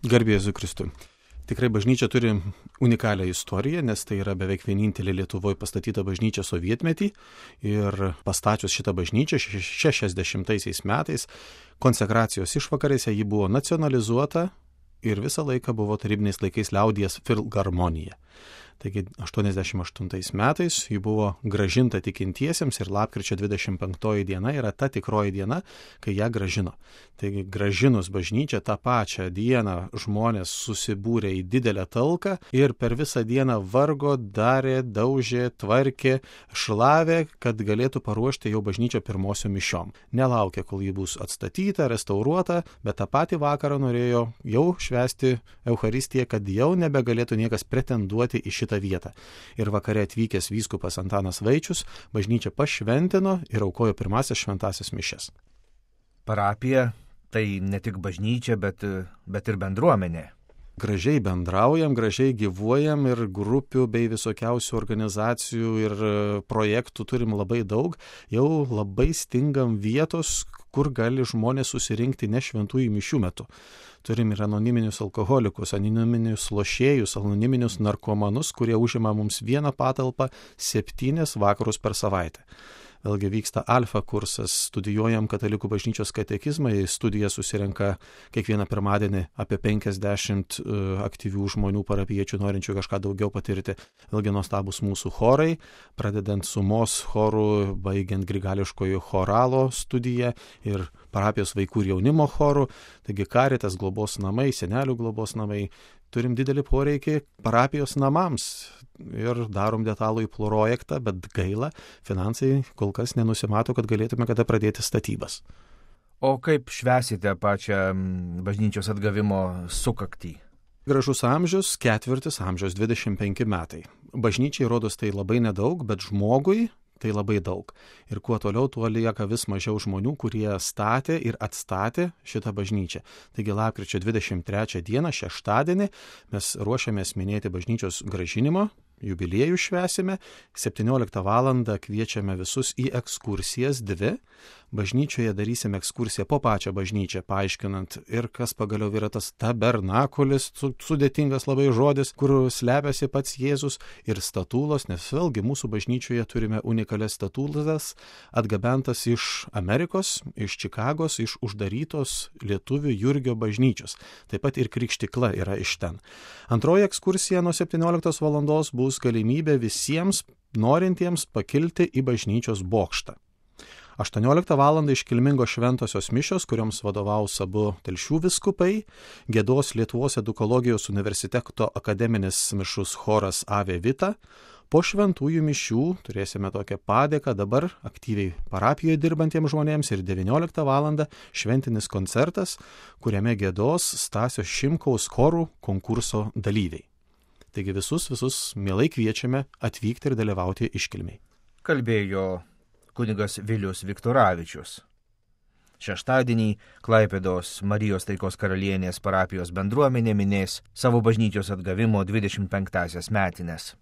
Garbė Jėzui Kristui. Tikrai bažnyčia turi unikalią istoriją, nes tai yra beveik vienintelė Lietuvoje pastatyta bažnyčia sovietmetį ir pastačius šitą bažnyčią 60 metais konsekracijos išvakarėse ji buvo nacionalizuota ir visą laiką buvo tarybiniais laikais liaudies filharmonija. Taigi 88 metais ji buvo grąžinta tikintiesiems ir lapkričio 25 diena yra ta tikroji diena, kai ją grąžino. Taigi grąžinus bažnyčią tą pačią dieną žmonės susibūrė į didelę talką ir per visą dieną vargo, darė, daužė, tvarkė, šlavė, kad galėtų paruošti jau bažnyčią pirmosiom mišiom. Nelaukė, kol ji bus atstatyta, restauruota, bet tą patį vakarą norėjo jau švęsti Eucharistiją, kad jau nebegalėtų niekas pretenduoti į šitą vietą. Ir vakare atvykęs vyskupas Antanas Vaičius bažnyčią pašventino ir aukojo pirmasias šventasias mišias. Parapija tai ne tik bažnyčia, bet ir bendruomenė. Gražiai bendraujam, gražiai gyvuojam ir grupių bei visokiausių organizacijų ir projektų turim labai daug. Jau labai stingam vietos, kur gali žmonės susirinkti ne šventųjų mišių metu. Turim ir anoniminius alkoholikus, anoniminius lošėjus, anoniminius narkomanus, kurie užima mums vieną patalpą 7 vakarus per savaitę. Vėlgi vyksta alfa kursas, studijuojam katalikų bažnyčios katekizmą, į studiją susirenka kiekvieną pirmadienį apie 50 aktyvių žmonių parapiečių, norinčių kažką daugiau patirti. Vėlgi nuostabus mūsų chorai, pradedant sumos chorų, baigiant grigališkojo choralo studiją ir parapijos vaikų ir jaunimo chorų, taigi Karitas globos namai, senelių globos namai. Turim didelį poreikį parapijos namams ir darom detalųjį projektą, bet gaila, finansai kol kas nenusimato, kad galėtume kada pradėti statybas. O kaip švęsite pačią bažnyčios atgavimo sukaktį? Gražus amžius, 4 amžiaus, 25 metai. Bažnyčiai rodos tai labai nedaug, bet žmogui tai labai daug. Ir kuo toliau, tuo lieka vis mažiau žmonių, kurie statė ir atstatė šitą bažnyčią. Taigi lapkričio 23 dieną, šeštadienį, mes ruošiamės minėti bažnyčios grąžinimo, jubiliejų švęsime, 17 valandą kviečiame visus į ekskursijas 2. Bažnyčioje darysime ekskursiją po pačią bažnyčią, paaiškinant ir kas pagaliau yra tas tabernakulis, sudėtingas labai žodis, kur slepiasi pats Jėzus, ir statulos, nes vėlgi mūsų bažnyčioje turime unikalias statulas, atgabentas iš Amerikos, iš Čikagos, iš uždarytos lietuvių Jurgio bažnyčios. Taip pat ir krikštikla yra iš ten. Antroji ekskursija nuo 17 valandos bus galimybė visiems norintiems pakilti į bažnyčios bokštą. 18 val. Iškilmingos šventosios mišios, kurioms vadovaus abu Telšių vyskupai, giedos Lietuvos edukologijos universiteto akademinis mišrus choras Ave Vita. Po šventųjų mišių turėsime tokią padėką dabar aktyviai parapijoje dirbantiems žmonėms ir 19 val. Šventinis koncertas, kuriame giedos Stasio Šimkaus chorų konkurso dalyviai. Taigi visus mielai kviečiame atvykti ir dalyvauti iškilmiai. Kalbėjo kunigas Vilius Viktoravičius. Šeštadienį Klaipėdos Marijos Taikos karalienės parapijos bendruomenė minės savo bažnyčios atgavimo 25-asias metines.